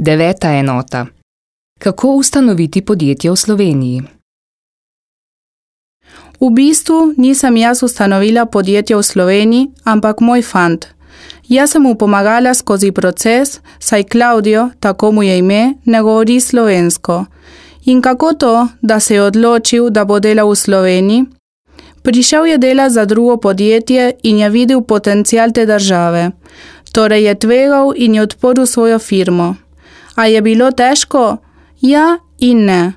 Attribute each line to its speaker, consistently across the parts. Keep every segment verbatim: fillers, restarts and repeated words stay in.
Speaker 1: Deveta enota. Kako ustanoviti podjetje v Sloveniji?
Speaker 2: V bistvu nisem jaz ustanovila podjetje v Sloveniji, ampak moj fant. Jaz sem mu pomagala skozi proces, saj Klaudijo, tako mu je ime, ne govori slovensko. In kako to, da se je odločil, da bo delal v Sloveniji? Prišel je delati za drugo podjetje in je videl potencial te države. Torej je tvegal in je odprl svojo firmo. A je bilo težko? Ja in ne.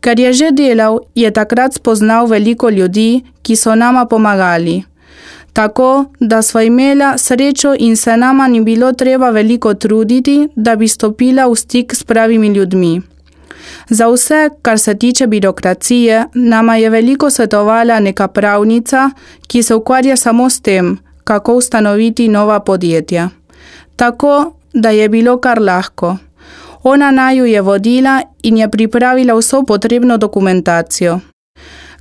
Speaker 2: Ker je že delal, je takrat spoznal veliko ljudi, ki so nama pomagali. Tako, da sva imela srečo in se nama ni bilo treba veliko truditi, da bi stopila v stik s pravimi ljudmi. Za vse, kar se tiče birokracije, nama je veliko svetovala neka pravnica, ki se ukvarja samo s tem, kako ustanoviti nova podjetja. Tako, da je bilo kar lahko. Ona naju je vodila in je pripravila vso potrebno dokumentacijo.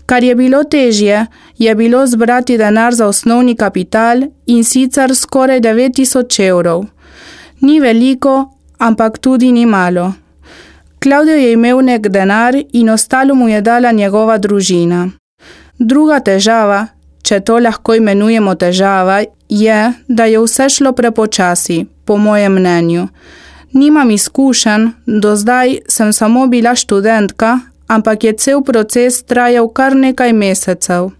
Speaker 2: Kar je bilo težje, je bilo zbrati denar za osnovni kapital in sicer skoraj devet tisoč evrov. Ni veliko, ampak tudi ni malo. Klaudijo je imel nek denar in ostalo mu je dala njegova družina. Druga težava, če to lahko imenujemo težava, je, da je vse šlo prepočasi, po mojem mnenju. Nimam izkušenj, do zdaj sem samo bila študentka, ampak je cel proces trajal kar nekaj mesecev.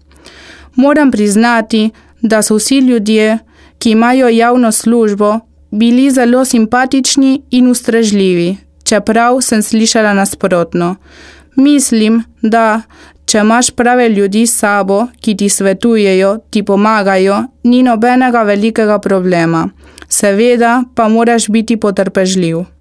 Speaker 2: Moram priznati, da so vsi ljudje, ki imajo javno službo, bili zelo simpatični in ustrežljivi, čeprav sem slišala nasprotno. Mislim, da če imaš prave ljudi s sabo, ki ti svetujejo, ti pomagajo, ni nobenega velikega problema. Seveda pa moraš biti potrpežljiv.